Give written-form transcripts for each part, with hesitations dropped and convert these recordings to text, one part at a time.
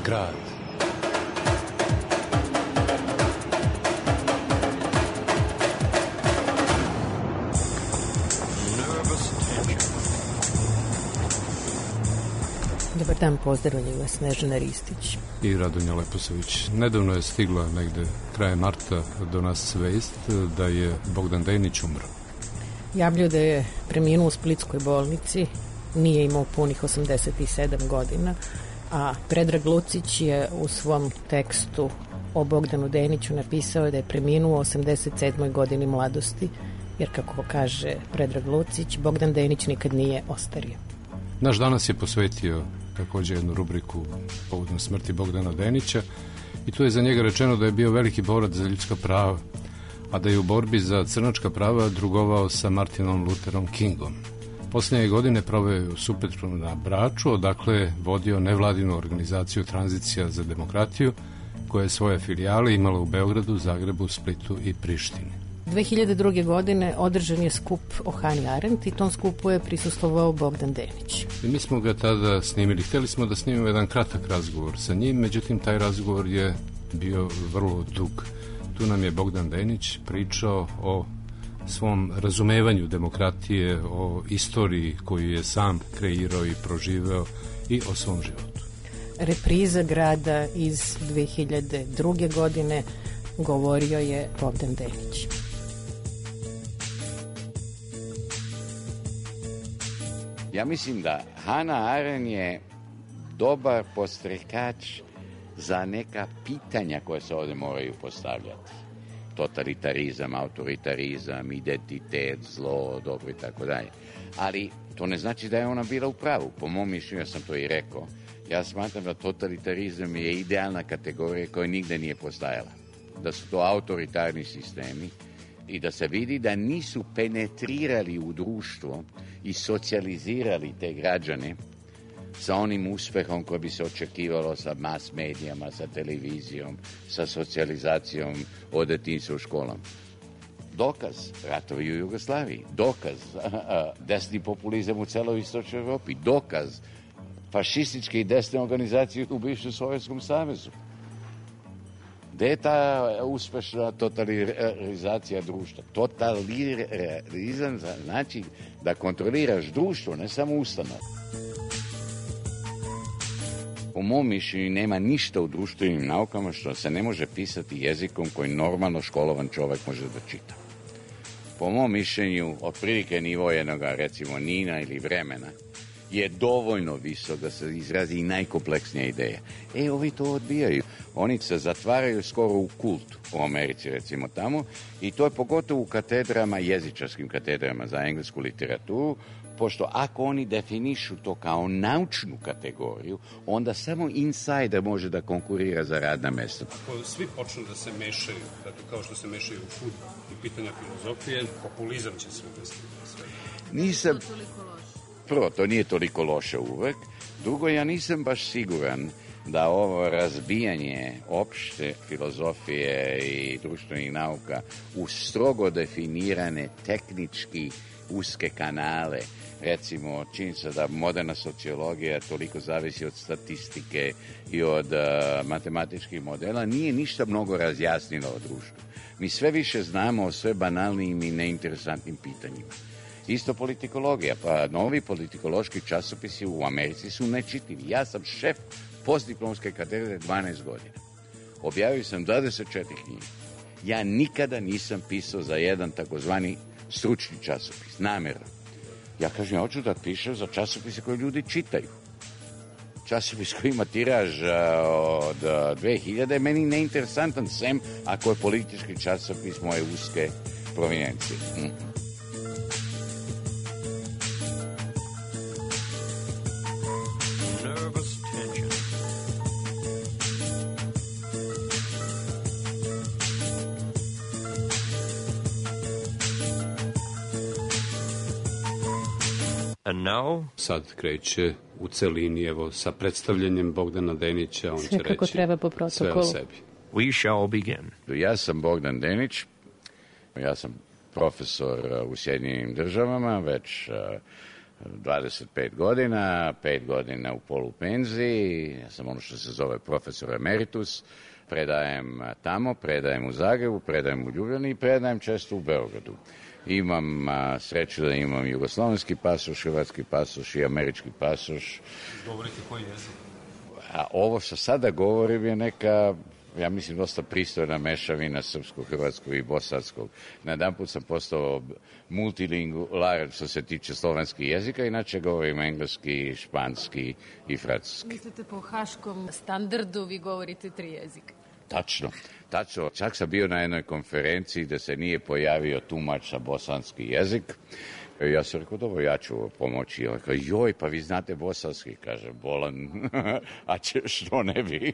grad. Dobar dan, pozdravljaju vas Snežana Ristić i Radonja Leposavić. Nedavno je stigla negde krajem marta do nas vest da je Bogdan Denić umro. Javljaju da je preminuo u splitskoj bolnici, nije imao punih 87 godina, a Predrag Lucić je u svom tekstu o Bogdanu Deniću napisao da je preminuo u 87. godini mladosti, jer kako kaže Predrag Lucić, Bogdan Denić nikad nije ostario. Naš danas je posvetio također jednu rubriku povodom smrti Bogdana Denića i tu je za njega rečeno da je bio veliki borac za ljudska prava, a da je u borbi za crnačka prava drugovao sa Martinom Lutherom Kingom. Posljednje godine proveo u Supetru na Braču, odakle je vodio nevladinu organizaciju Tranzicija za demokratiju, koja je svoje filijale imala u Beogradu, Zagrebu, Splitu i Prištini. 2002. godine održan je skup o Hani Arendt i tom skupu je prisustvovao Bogdan Denić. I mi smo ga tada snimili. Htjeli smo da snimimo jedan kratak razgovor sa njim, međutim taj razgovor je bio vrlo dug. Tu nam je Bogdan Denić pričao o svom razumevanju demokratije, o istoriji koju je sam kreirao i proživeo i o svom životu. Repriza grada iz 2002. godine govorio je Bogdan Denić. Ja mislim da Hannah Arendt je dobar podstrekač za neka pitanja koje se ovdje moraju postavljati. Totalitarizam, autoritarizam, identitet, zlo, dobro i tako dalje. Ali to ne znači da je ona bila u pravu. Po mom mišljenju, ja sam to i rekao, ja smatram da totalitarizam je idealna kategorija koja nigde nije postajala. Da su to autoritarni sistemi i da se vidi da nisu penetrirali u društvo i socijalizirali te građane sa onim uspehom koji bi se očekivalo sa mas medijama, sa televizijom, sa socijalizacijom od detinjstva u školama. Dokaz ratovi u Jugoslaviji, dokaz desni populizam u celoj istočnoj Evropi, dokaz fašističke i desne organizacije u bivšem Sovjetskom savezu. Gde je ta uspešna totalizacija društva? Totalizam znači da kontroliraš društvo, ne samo ustanove. Po mom mišljenju nema ništa u društvenim naukama što se ne može pisati jezikom koji normalno školovan čovjek može da čita. Po mom mišljenju, otprilike nivo jednog, recimo, Nina ili vremena, je dovoljno visok da se izrazi i najkompleksnija ideja. Ovi to odbijaju. Oni se zatvaraju skoro u kult u Americi, recimo tamo, i to je pogotovo u katedrama, jezičarskim katedrama za englesku literaturu, pošto ako oni definišu to kao naučnu kategoriju, onda samo insider može da konkurira za radna mesta. Ako svi počnu da se mešaju, dakle, kao što se mešaju u fudbal i pitanja filozofije, populizam će se uvesti. Nisam... Prvo, to nije toliko loše uvek. Drugo, ja nisam baš siguran da ovo razbijanje opšte filozofije i društvenih nauka u strogo definirane tehnički uske kanale, recimo činjenica da moderna sociologija toliko zavisi od statistike i od matematičkih modela, nije ništa mnogo razjasnilo o društvu. Mi sve više znamo o sve banalnim i neinteresantnim pitanjima. Isto politikologija, pa novi politikološki časopisi u Americi su nečitljivi. Ja sam šef postdiplomske katedre 12 godina. Objavio sam 24 knjige. Ja nikada nisam pisao za jedan takozvani stručni časopis, namjerno. Ja kažem, ja hoću da pišem za časopise koje ljudi čitaju. Časopis koji ima tiraž od 2000 je meni neinteresantan, sem ako je politički časopis moje uske provinencije. And now? Sad kreće u celini, evo, sa predstavljanjem Bogdana Denića, on sve će kako reći treba po protokolu. sve o sebi. We shall begin. Ja sam Bogdan Denić, ja sam profesor u Sjedinjenim Državama već 25 godina, 5 godina u polupenziji, ja sam ono što se zove profesor emeritus, predajem tamo, predajem u Zagrebu, predajem u Ljubljani i predajem često u Beogradu. Imam sreću da imam jugoslovenski pasoš, hrvatski pasoš i američki pasoš. Govorite koji jezik? A ovo što sada govorim je neka, ja mislim, dosta pristojna mešavina srpskog, hrvatskog i bosanskog. Na jedan put sam postao multilingualan što se tiče slovenskih jezika, inače govorim engleski, španski i francuski. Mislite, po haškom standardu vi govorite 3 jezika? Tačno. Čak sam bio na jednoj konferenciji gde se nije pojavio tumač za bosanski jezik. Ja sam rekao, dobro, ja ću pomoći. On rekao, joj, pa vi znate bosanski, kaže, bolan, a što ne bi?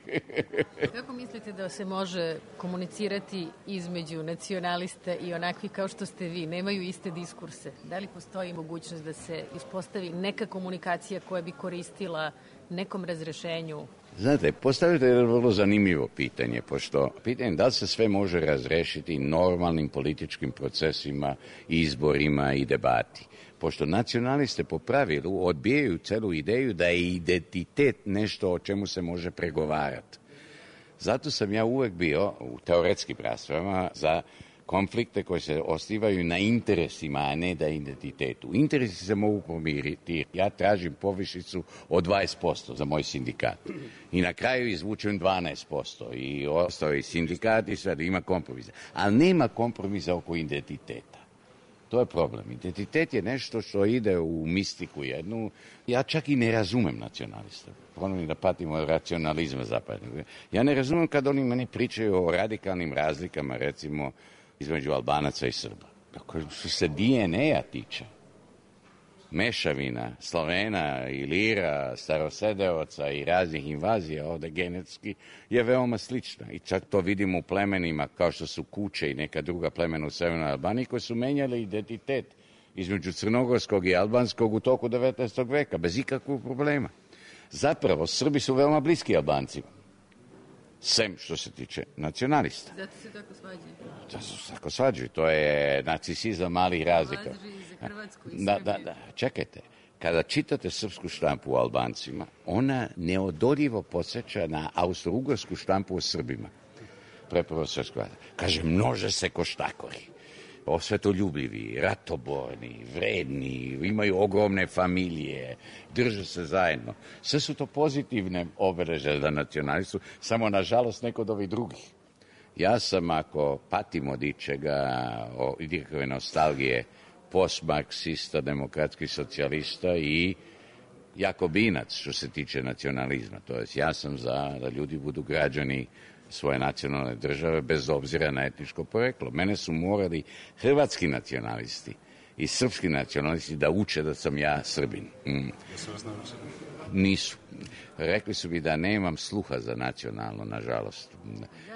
Kako mislite da se može komunicirati između nacionalista i onakvi kao što ste vi? Nemaju iste diskurse. Da li postoji mogućnost da se ispostavi neka komunikacija koja bi koristila nekom razrešenju? Znate, postavite jedno vrlo zanimljivo pitanje, pošto pitanje da li se sve može razrešiti normalnim političkim procesima, izborima i debati. Pošto nacionaliste po pravilu odbijaju celu ideju da je identitet nešto o čemu se može pregovarati. Zato sam ja uvek bio u teoretskim raspravama za konflikte koji se osnivaju na interesima, a ne da identitetu. Interesi se mogu pomiriti. Ja tražim povišicu od 20% za moj sindikat. I na kraju izvučem 12%. I ostao i sindikat i sad ima kompromisa. Ali nema kompromisa oko identiteta. To je problem. Identitet je nešto što ide u mistiku jednu. Ja čak i ne razumem nacionalista. Ponovim da patimo od racionalizma zapadnog. Ja ne razumem kad oni meni pričaju o radikalnim razlikama, recimo, između Albanaca i Srba. Što se DNA-a tiče, mešavina Slovena, Ilira, Starosedeoca i raznih invazija ovde genetski je veoma slična. I čak to vidimo u plemenima kao što su Kuče i neka druga plemena u Severnoj Albaniji koji su menjali identitet između crnogorskog i albanskog u toku 19. veka, bez ikakvog problema. Zapravo, Srbi su veoma bliski Albancima. Sem što se tiče nacionalista. Zato se tako svađaju. Zato se tako svađaju. To je narcisizam malih razlika. Važi i za Hrvatsku i Srbiju. Da. Čekajte. Kada čitate srpsku štampu o Albancima, ona neodoljivo podsjeća na austro-ugarsku štampu o Srbima. Prepravo srpsku. Kaže, množe se koštakori. Osvetoljubivi, ratoborni, vredni, imaju ogromne familije, drže se zajedno. Sve su to pozitivne obeleže za nacionalistu, samo nažalost neko od ovih drugih. Ja sam, ako patim od ičega, od ikakve nostalgije, postmarksista, demokratski socijalista i jakobinac što se tiče nacionalizma. To jest, ja sam za da ljudi budu građani svoje nacionalne države bez obzira na etničko poreklo. Mene su morali hrvatski nacionalisti i srpski nacionalisti da uče da sam ja Srbin. Jesu vas naučili? Nisu. Rekli su mi da nemam sluha za nacionalno, nažalost.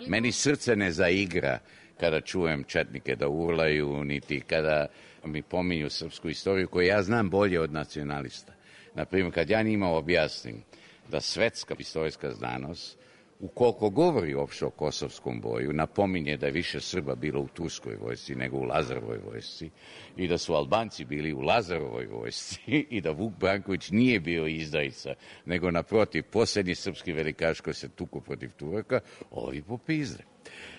Meni srce ne zaigra kada čujem četnike da urlaju, niti kada mi pominju srpsku istoriju koju ja znam bolje od nacionalista. Naprimjer, kad ja njima objasnim da svetska istorijska znanost ukoliko govori uopšte o kosovskom boju, napominje da je više Srba bilo u Turskoj vojsci nego u Lazarovoj vojsci i da su Albanci bili u Lazarovoj vojsci i da Vuk Branković nije bio izdajica, nego naprotiv, posljednji srpski velikaš koji se tuku protiv Turaka, ovi popizde.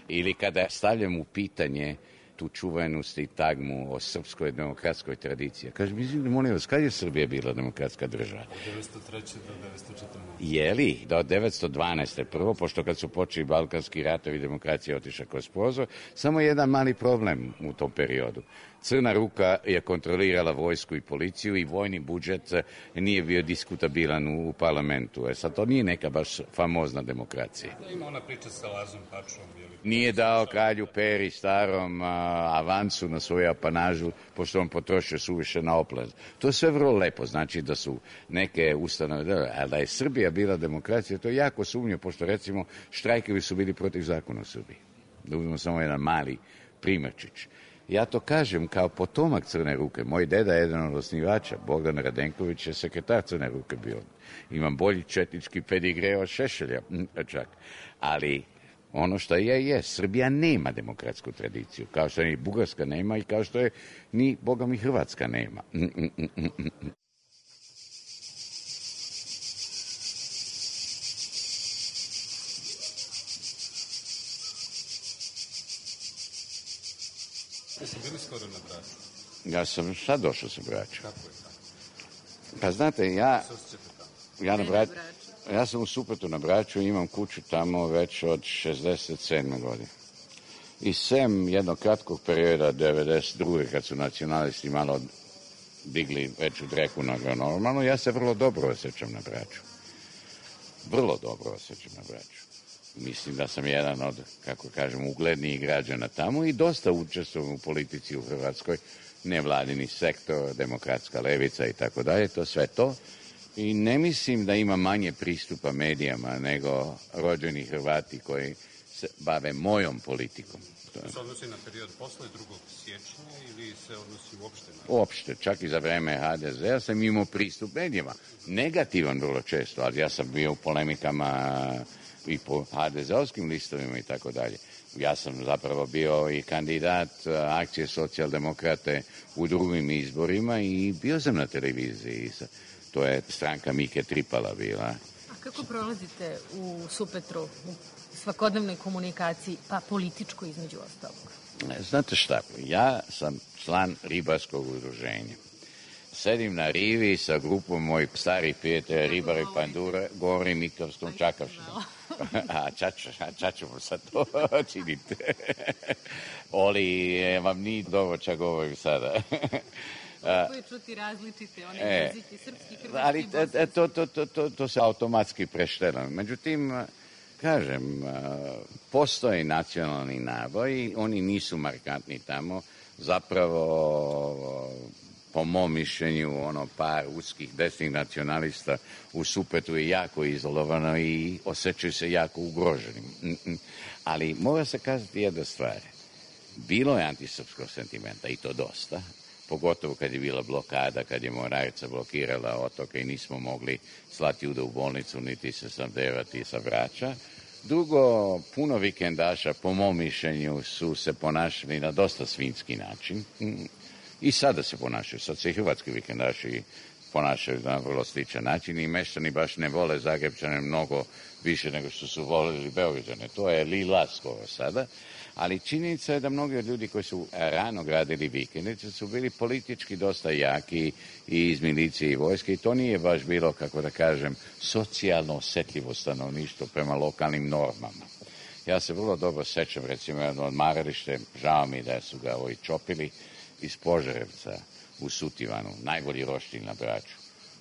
Ili kada stavljam u pitanje tu čuvenu sintagmu o srpskoj demokratskoj tradiciji. Kaže, mislim, molim vas, kad je Srbija bila demokratska država? Od 1903. do 1914. Jeli? Do 1912. Prvo, pošto kad su počeli balkanski ratovi, demokracija otišla kroz prozor, samo jedan mali problem u tom periodu. Crna ruka je kontrolirala vojsku i policiju i vojni budžet nije bio diskutabilan u parlamentu. Sad, to nije neka baš famozna demokracija. Ima ona priča sa Lazom Pačom. Nije dao kralju Peri starom avansu na svoju apanažu, pošto on potrošio suviše na oplaz. To je sve vrlo lepo, znači da su neke ustanove, ali da je Srbija bila demokracija, to je jako sumnje, pošto recimo štrajkovi su bili protiv zakona u Srbiji. Da uzmemo samo jedan mali primerčić. Ja to kažem kao potomak Crne ruke. Moj deda je jedan od osnivača, Bogdan Radenković je sekretar Crne ruke bio. Imam bolji četnički pedigre od Šešelja, čak. Ali ono što je, Srbija nema demokratsku tradiciju, kao što ni Bugarska nema i kao što je ni, Boga mi, Hrvatska nema. Jesi bili skoro na Braču? Ja sam sad došao sa Brača. Kako je tamo? Pa znate, ja sam u Supetu na Braču i imam kuću tamo već od 67. godine. I sem jednog kratkog perioda 92. kad su nacionalisti malo digli veću dreku nego normalno, ja se vrlo dobro osjećam na Braču. Vrlo dobro osjećam na Braču. Mislim da sam jedan od, kako kažem, uglednijih građana tamo i dosta učestvujem u politici u Hrvatskoj, nevladini sektor, demokratska levica i tako dalje, to sve to. I ne mislim da ima manje pristupa medijama nego rođeni Hrvati koji se bave mojom politikom. To se odnosi na period posle 2. siječnja ili se odnosi uopšte na... Uopšte, čak i za vreme HDZ-a sam imao pristup medijima. Negativan vrlo često, ali ja sam bio u polemikama i po HDZ-ovskim listovima i tako dalje. Ja sam zapravo bio i kandidat akcije socijaldemokrate u drugim izborima i bio sam na televiziji. To je stranka Mike Tripala bila. A kako prolazite u Supetru, u svakodnevnoj komunikaciji, pa političko između ostalog? Znate šta, ja sam član ribarskog udruženja. Sedim na rivi sa grupom mojih starih prijatelja, ribara i pandura, govorim Nikavskom Čakavštinom. Čačemo sad to činite. Oli, vam nije dobro čak govorim sada. Kako je čuti različite, one jezike, srpski, hrvatski, ali to se automatski preštela. Međutim, kažem, postoji nacionalni naboj, oni nisu markantni tamo, zapravo po mom mišljenju par uskih desnih nacionalista u Supetu je jako izolovano i osjećaju se jako ugroženim. Ali mora se kazati jedna stvar. Bilo je antisrpskog sentimenta i to dosta, pogotovo kad je bila blokada, kad je mornarica blokirala otoke i nismo mogli slati ljude u bolnicu niti se snabdevati sa Brača. Drugo, puno vikendaša, po mom mišljenju, su se ponašali na dosta svinjski način. I sada se ponašaju, sad se i hrvatski vikendaši ponašaju na vrlo sličan način i meštani baš ne vole Zagrepčane mnogo više nego što su volili Beograđane. To je lila skoro sada, ali činjenica je da mnogi od ljudi koji su rano gradili vikendice su bili politički dosta jaki i iz milicije i vojske i to nije baš bilo, kako da kažem, socijalno osjetljivo stanovništvo prema lokalnim normama. Ja se vrlo dobro sećam, recimo, jedno odmaralište, žao mi da su ga čopili, iz Požarevca u Sutivanu, najbolji roštilj na Braču.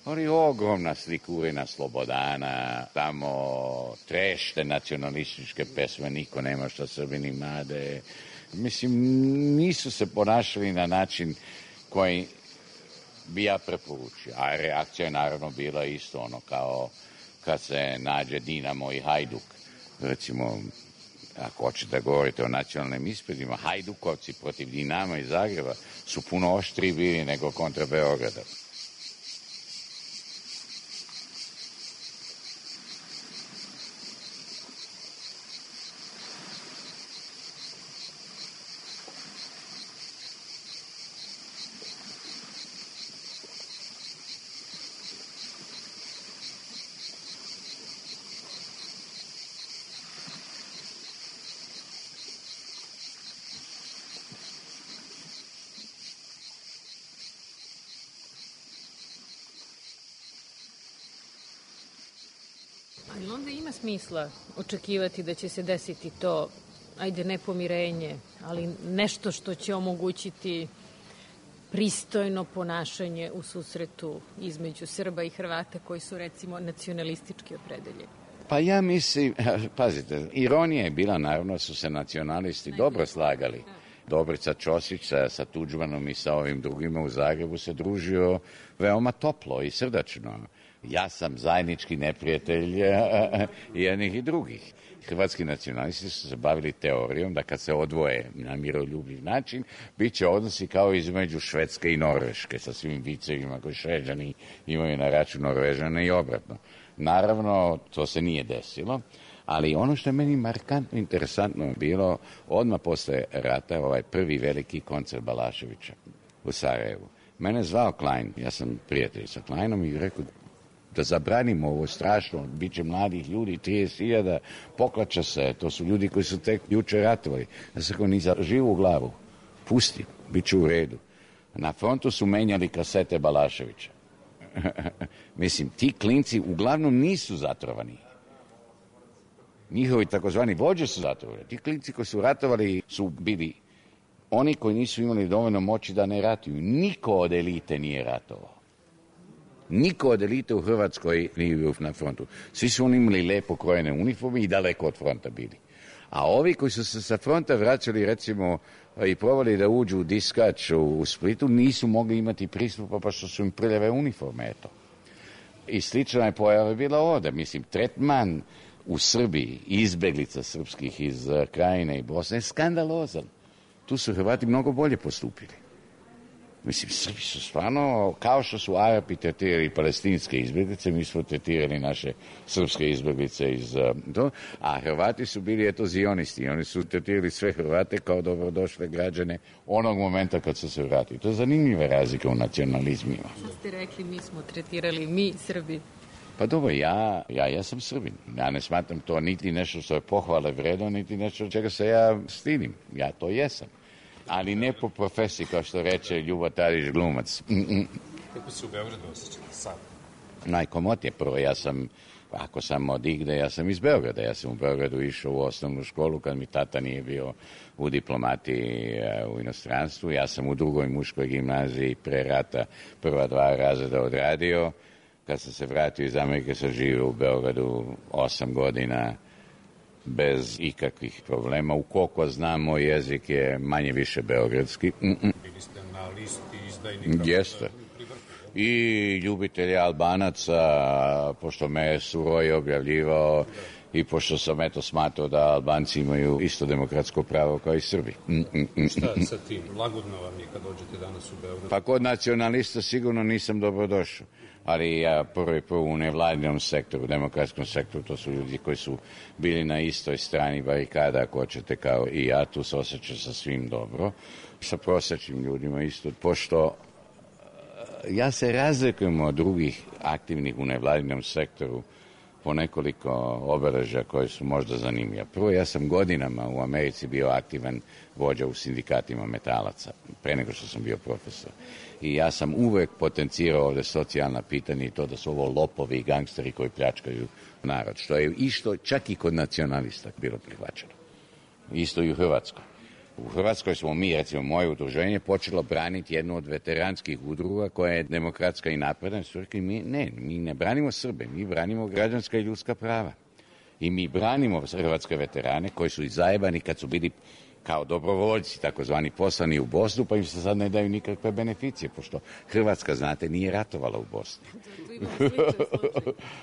Ali ogromna slikurina Slobodana, tamo trešte nacionalističke pesme, niko nema šta Srbini made. Mislim, nisu se ponašali na način koji bi ja preporučio. A reakcija je naravno bila isto ono kao kad se nađe Dinamo i Hajduk. Recimo, ako hoćete da govorite o nacionalnim ispredima, Hajdukovci protiv Dinama iz Zagreba su puno oštriji bili nego kontra Beograda. Ali onda ima smisla očekivati da će se desiti to, ajde ne pomirenje, ali nešto što će omogućiti pristojno ponašanje u susretu između Srba i Hrvata koji su recimo nacionalistički opredeljeni. Pa ja mislim, pazite, ironija je bila naravno su se nacionalisti dobro slagali. Dobrica Ćosić sa Tuđmanom i sa ovim drugima u Zagrebu se družio veoma toplo i srdačno. Ja sam zajednički neprijatelj jednih i drugih. Hrvatski nacionalisti su se bavili teorijom da kad se odvoje na miroljubiv način, bit će odnosi kao između Švedske i Norveške sa svim vicevima koji Šveđani imaju na račun Norvežana i obratno. Naravno, to se nije desilo, ali ono što je meni markantno interesantno bilo, odmah posle rata, ovaj prvi veliki koncert Balaševića u Sarajevu. Mene zvao Klein, ja sam prijatelj sa Kleinom i rekao da zabranimo ovo strašno, bit će mladih ljudi, 30.000, poklača se, to su ljudi koji su tek juče ratovali. Ja sam rekao, ni za živu glavu. pusti, bit će u redu. Na frontu su menjali kasete Balaševića. Mislim, ti klinci uglavnom nisu zatrovani. Njihovi takozvani vođe su zatrovani. Ti klinci koji su ratovali su bili oni koji nisu imali dovoljno moći da ne ratuju. Niko od elite nije ratovao. Niko od elite u Hrvatskoj nije bio na frontu. Svi su oni imali lepo krojene uniforme i daleko od fronta bili. A ovi koji su se sa fronta vraćali, recimo, i probali da uđu u Diskač u Splitu, nisu mogli imati pristupa pa što su im prljave uniforme, eto. I slična je pojava bila ovdje. Mislim, tretman u Srbiji, izbeglica srpskih iz Krajine i Bosne, je skandalozan. Tu su Hrvati mnogo bolje postupili. Mislim, Srbi su stvarno, kao što su Arapi tretirali palestinske izbjeglice, mi smo tretirali naše srpske izbjeglice iz a Hrvati su bili, eto, zionisti. Oni su tretirali sve Hrvate kao dobrodošle građane onog momenta kad su se vratili. To je zanimljiva razlika u nacionalizmima. Što ste rekli, mi smo tretirali, mi, Srbi? Pa dobro, ja sam Srbin. Ja ne smatram to niti nešto što je pohvale vredno, niti nešto čega se ja stidim. Ja to jesam. Ali ne po profesiji, kao što reče Ljubo Tadić, glumac. Kako se u Beogradu osjećate sad? Najkomotnije. Prvo, ako sam od igde, ja sam iz Beograda. Ja sam u Beogradu išao u osnovnu školu kad mi tata nije bio u diplomatiji u inostranstvu. Ja sam u drugoj muškoj gimnaziji pre rata prva 2 razreda odradio. Kad sam se vratio iz Amerike, sam živio u Beogradu 8 godina bez ikakvih problema. Ukoliko znam, moj jezik je manje više beogradski. Bili ste na listi izdajnika. Jeste. I ljubitelji Albanaca, pošto me Suroj objavljivao i pošto sam smatrao da Albanci imaju isto demokratsko pravo kao i Srbi. Šta sa tim? Lagodno vam je kad dođete danas u Beograd? Pa kod nacionalista sigurno nisam dobrodošao. Ali ja prvo u nevladinom sektoru, u demokratskom sektoru, to su ljudi koji su bili na istoj strani barikada, ako hoćete, kao i ja, tu se osjećam sa svim dobro. Sa prosječnim ljudima isto, pošto ja se razlikujem od drugih aktivnih u nevladinom sektoru po nekoliko obeležja koje su možda zanimljive. Prvo, ja sam godinama u Americi bio aktivan vođa u sindikatima metalaca, pre nego što sam bio profesor. I ja sam uvek potencirao ovdje socijalna pitanja i to da su ovo lopovi i gangsteri koji pljačkaju narod, što je isto čak i kod nacionalista bilo prihvaćeno. Isto i u Hrvatskoj. U Hrvatskoj smo mi, recimo moje udruženje, počelo braniti jednu od veteranskih udruga koja je demokratska i napredna. Su rekli, mi ne branimo Srbe, mi branimo građanska i ljudska prava. I mi branimo hrvatske veterane koji su i zajebani kad su bili kao dobrovoljci, takozvani poslani u Bosnu, pa im se sad ne daju nikakve beneficije, pošto Hrvatska, znate, nije ratovala u Bosni.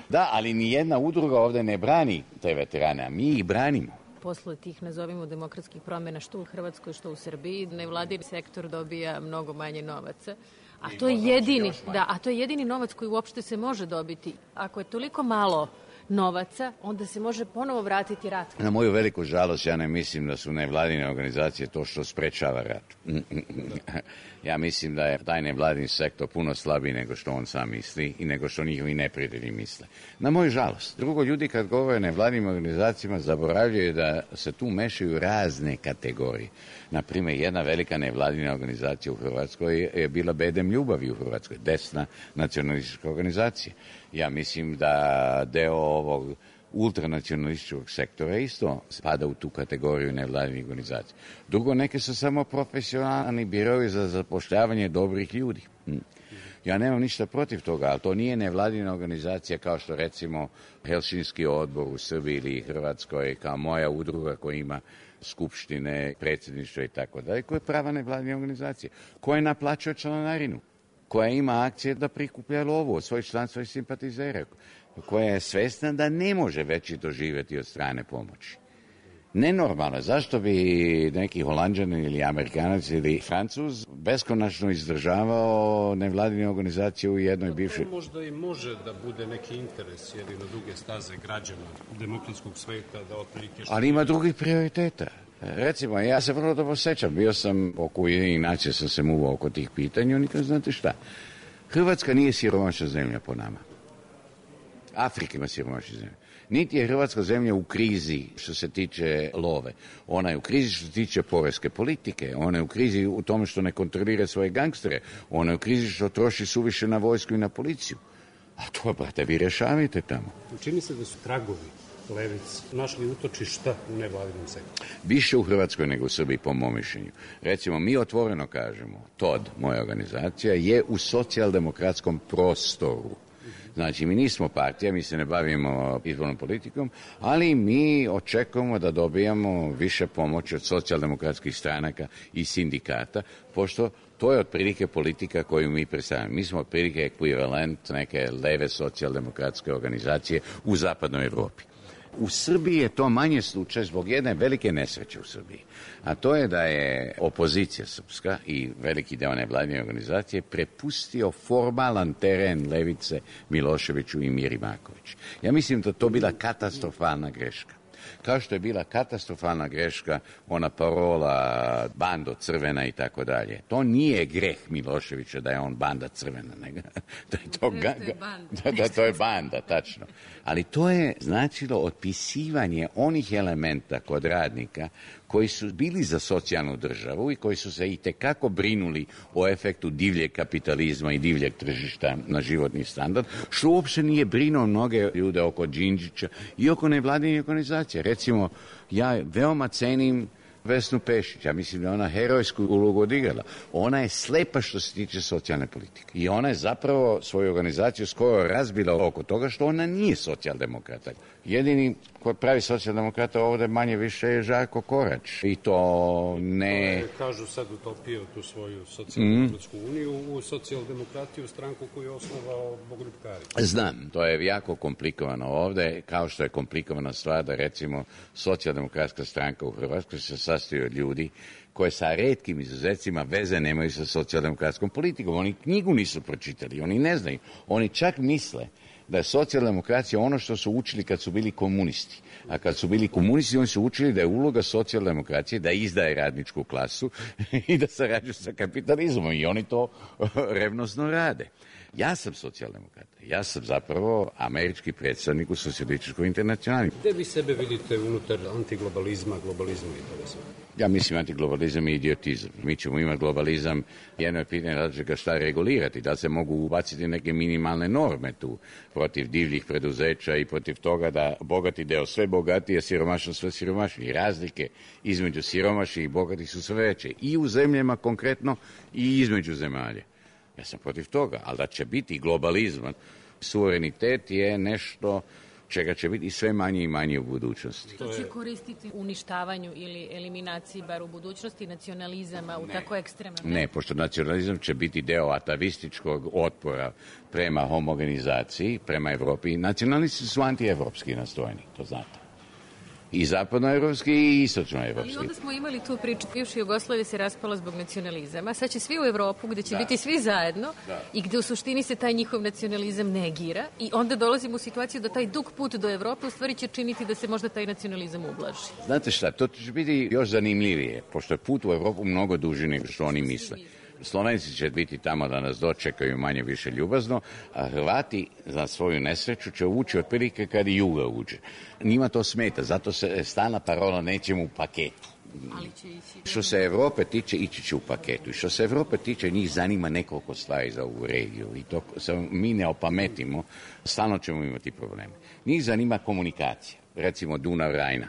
Da, ali ni jedna udruga ovdje ne brani te veterane, a mi ih branimo. Posle tih, nazovimo, demokratskih promjena što u Hrvatskoj, što u Srbiji, nevladin sektor dobija mnogo manje novaca. A to je jedini novac koji uopšte se može dobiti. Ako je toliko malo novaca, onda se može ponovo vratiti rat. Na moju veliku žalost, ja ne mislim da su nevladine organizacije to što sprečava rat. Ja mislim da je taj nevladin sektor puno slabiji nego što on sam misli i nego što njihovi neprijatelji misle. Na moju žalost. Drugo, ljudi kad govore o nevladinim organizacijama zaboravljaju da se tu mešaju razne kategorije. Naprimjer, jedna velika nevladina organizacija u Hrvatskoj je bila Bedem ljubavi u Hrvatskoj, desna nacionalistička organizacija. Ja mislim da deo ovog ultranacionalističkog sektora isto spada u tu kategoriju nevladinih organizacija. Drugo, neke su samo profesionalni birovi za zapošljavanje dobrih ljudi. Ja nemam ništa protiv toga, ali to nije nevladina organizacija kao što recimo Helsinski odbor u Srbiji ili Hrvatskoj, kao moja udruga koja ima skupštine, predsjedništvo i tako dalje, koja je prava nevladina organizacija, koja naplaćuje članarinu, koja ima akcije da prikuplja lovu od svojih članstva i simpatizera, koja je svesna da ne može veći doživjeti od strane pomoći. Nenormalno. Zašto bi neki Holanđanin ili Amerikanac ili Francuz beskonačno izdržavao nevladine organizacije u jednoj bivšoj... Možda i može da bude neki interes jer i na duge staze građana demokratskog sveta da otprilike... Ali ima drugih prioriteta. Recimo, ja se vrlo dobro sećam, bio sam oko Ujedinjenih nacija, sam se muvao oko tih pitanja, oni kažu, znate šta, Hrvatska nije siromašna zemlja po nama. Afrika ima siromašnih zemlja. Niti je Hrvatska zemlja u krizi što se tiče love. Ona je u krizi što se tiče poreske politike. Ona je u krizi u tome što ne kontrolira svoje gangstere. Ona je u krizi što troši suviše na vojsku i na policiju. A to, brate, vi rješavajte tamo. Čini se da su tragovi levice našli utočišta u nevladinom sektoru. Više u Hrvatskoj nego u Srbiji, po mom mišljenju. Recimo, mi otvoreno kažemo, TOD, moja organizacija, je u socijaldemokratskom prostoru. Znači, mi nismo partija, mi se ne bavimo izbornom politikom, ali mi očekujemo da dobijamo više pomoći od socijaldemokratskih stranaka i sindikata, pošto to je otprilike politika koju mi predstavljamo. Mi smo otprilike ekvivalent neke leve socijaldemokratske organizacije u zapadnoj Europi. U Srbiji je to manje slučaj zbog jedne velike nesreće u Srbiji, a to je da je opozicija srpska i veliki deo nevladine organizacije prepustio formalan teren levice Miloševiću i Miri Marković. Ja mislim da to bila katastrofalna greška. Kao što je bila katastrofalna greška ona parola bando crvena i tako dalje. To nije greh Miloševića da je on banda crvena, nego da je to da to je banda, tačno. Ali to je značilo otpisivanje onih elementa kod radnika koji su bili za socijalnu državu i koji su se itekako brinuli o efektu divljeg kapitalizma i divljeg tržišta na životni standard, što uopće nije brinuo mnoge ljude oko Đinđića i oko nevladinih organizacija. Recimo, ja veoma cenim Vesnu Pešić, ja mislim da ona herojsku ulogu odigrala. Ona je slepa što se tiče socijalne politike i ona je zapravo svoju organizaciju skoro razbila oko toga što ona nije socijaldemokrata. Jedini koji pravi socijaldemokrata ovdje manje više je Žarko Korać i to ne... Kažu sad utopio tu svoju socijaldemokratsku uniju u socijaldemokratiju, stranku koju je osnovao Bogoljub Karić. Znam, to je jako komplikovano ovdje, kao što je komplikovana stvar da recimo socijaldemokratska stranka u Hrvatskoj se sastoji od ljudi koje sa retkim izuzecima veze nemaju sa socijaldemokratskom politikom. Oni knjigu nisu pročitali, oni ne znaju. Oni čak misle da je socijaldemokracija ono što su učili kad su bili komunisti. A kad su bili komunisti, oni su učili da je uloga socijaldemokracije da izdaje radničku klasu i da sarađuje sa kapitalizmom. I oni to revnosno rade. Ja sam socijaldemokrat. Ja sam zapravo američki predstavnik u socijalističkoj internacionali. Gde vi sebe vidite unutar antiglobalizma, globalizma i toga sve? Ja mislim antiglobalizam i idiotizam. Mi ćemo imati globalizam, jedno je pitanje različitoga šta regulirati, da se mogu ubaciti neke minimalne norme tu protiv divljih preduzeća i protiv toga da bogati deo sve bogatije, siromašno sve siromašniji. Razlike između siromašnih i bogatih su sve veće i u zemljama konkretno i između zemalja. Ja sam protiv toga, ali da će biti globalizam, suverenitet je nešto čega će biti sve manje i manje u budućnosti. To će koristiti uništavanju ili eliminaciji, bar u budućnosti, nacionalizama u tako ekstremnom... Ne, pošto nacionalizam će biti deo atavističkog otpora prema homogenizaciji, prema Evropi. Nacionalisti su antievropski nastrojeni, to znate. I zapadnoevropski i istočnoevropski. Ali onda smo imali tu priču, bivša Jugoslavija se raspala zbog nacionalizama, sad će svi u Evropu gde će biti svi zajedno i gde u suštini se taj njihov nacionalizam negira i onda dolazimo u situaciju da taj dug put do Evrope u stvari će činiti da se možda taj nacionalizam ublaži. Znate šta, to će biti još zanimljivije, pošto je put u Evropu mnogo duži nego što oni misle. Slovenci će biti tamo da nas dočekaju manje više ljubazno, a Hrvati za svoju nesreću će ući otprilike kad i Juga uđe. Njima to smeta, zato se stalna parola nećemo u paketu. Ali će ići... Što se Evrope tiče, ići će u paketu. I što se Evrope tiče, njih zanima nekoliko stvari za ovu regiju. I to se mi ne opametimo, stalno ćemo imati probleme. Njih zanima komunikacija, recimo Dunav-Rajna.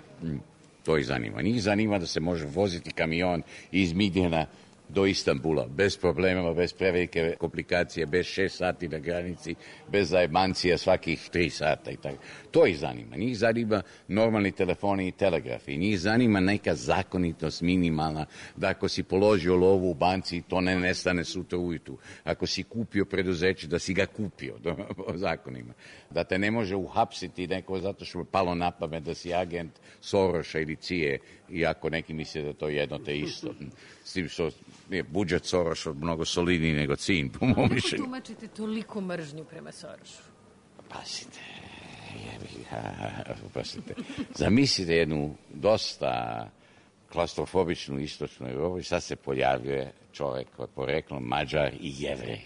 To ih zanima. Njih zanima da se može voziti kamion iz Midjena do Istanbula, bez problema, bez prevelike komplikacije, bez 6 sati na granici, bez zajebancija svakih 3 sata i tako. To ih zanima. Njih zanima normalni telefoni i telegrafi. Njih zanima neka zakonitost minimalna, da ako si položio lovu u banci, to ne nestane sutra ujutru. Ako si kupio preduzeće, da si ga kupio po zakonima. Da te ne može uhapsiti neko zato što je palo na pamet da si agent Soroša ili Cije, iako neki misle da to je jedno te isto. S tim što je budžet Soroša mnogo solidniji nego Cin, po mom mišljenju. Kako tumačite toliko mržnju prema Sorošu? Pazite. Zamislite jednu dosta klaustrofobičnu istočnu Evropu i sad se pojavljuje čovjek koji je poreklom Mađar i Jevrej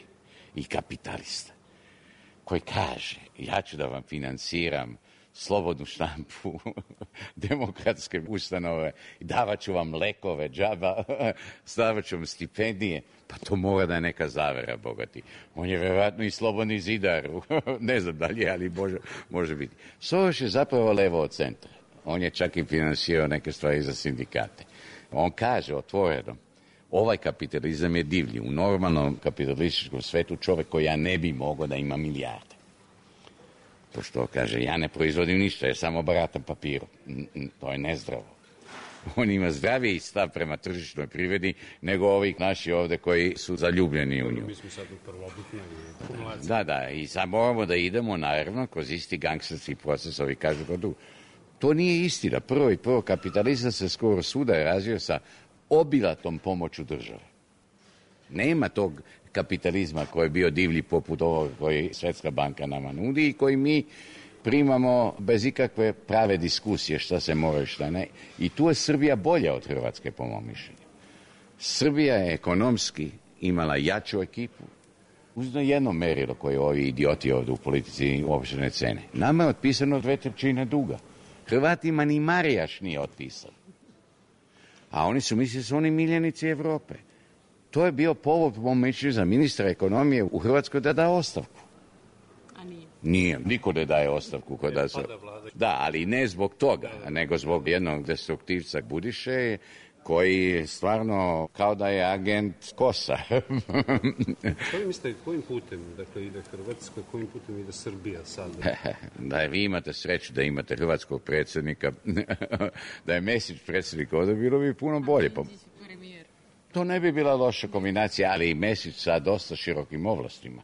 i kapitalista koji kaže, ja ću da vam financiram slobodnu štampu, demokratske ustanove, davat ću vam lekove, džaba, stavat ću vam stipendije, pa to mora da je neka zavera, bogati. On je verovatno i slobodni zidar, ne znam da li je, ali može biti. Soros je zapravo levo od centra. On je čak i finansirao neke stvari za sindikate. On kaže otvoreno, ovaj kapitalizam je divlji. U normalnom kapitalističkom svetu čovjek koji ja ne bi mogao da ima milijarde. Pošto kaže, ja ne proizvodim ništa, ja samo baratam papirom. To je nezdravo. On ima zdraviji stav prema tržišnoj privredi nego ovih naši ovde koji su zaljubljeni u nju. Mi smo sad u prvobitnoj akumulaciji. Da, i sad moramo da idemo, naravno, kroz isti gangsterski proces, ovi kažu kod drugo. To nije istina. Prvo, kapitalizam se skoro svuda je razvio sa obilatom pomoću države. Nema tog kapitalizma koji je bio divlji poput ovog koji Svetska banka nama nudi i koji mi primamo bez ikakve prave diskusije šta se mora i šta ne. I tu je Srbija bolja od Hrvatske, po mom mišljenju. Srbija je ekonomski imala jaču ekipu. Uzno jedno merilo koje ovi idioti ovdje u politici uopšte ne cene. Nama je otpisano 2/3 duga. Hrvatima ni Marijaš nije otpisan. A oni su mislili da su oni miljenici Evrope. To je bio povod, po mom mišljenju, za ministra ekonomije u Hrvatskoj da da ostavku. A nije? Nije, niko ne daje ostavku. Da, ali ne zbog toga, nego zbog jednog destruktivca Budiše, koji stvarno kao da je agent KOS-a. Što vi mislite, kojim putem ide Hrvatska, kojim putem ide Srbija sada? Da vi imate sreću da imate hrvatskog predsjednika, da je Mesić predsjednik ovdje, bilo bi puno bolje. To ne bi bila loša kombinacija, ali i Mesić sa dosta širokim ovlastima.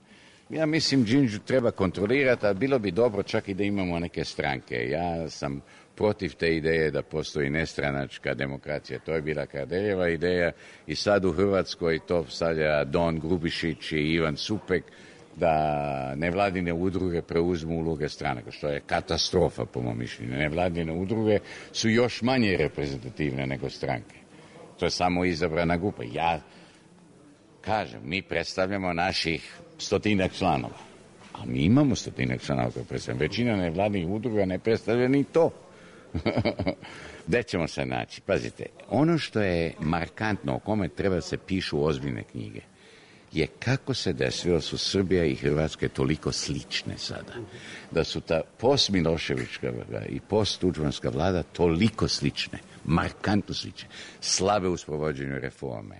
Ja mislim, Đinđu treba kontrolirati, a bilo bi dobro čak i da imamo neke stranke. Ja sam protiv te ideje da postoji nestranačka demokracija. To je bila Kardeljeva ideja i sad u Hrvatskoj to stavlja Don Grubišić i Ivan Supek da nevladine udruge preuzmu uloge stranaka, što je katastrofa po mom mišljenju. Nevladine udruge su još manje reprezentativne nego stranke. To je samo izabrana grupa. Ja kažem, mi predstavljamo naših 100 članova. A mi imamo 100 članova koje predstavljamo. Većina nevladnih udruga ne predstavlja ni to. Gde ćemo se naći? Pazite, ono što je markantno, o kome treba se pišu ozbiljne knjige, je kako se desilo su Srbija i Hrvatske toliko slične sada. Da su ta post-Miloševićka i post-Tuđmanska vlada toliko slične, markantno slične, slabe u sprovođenju reforme,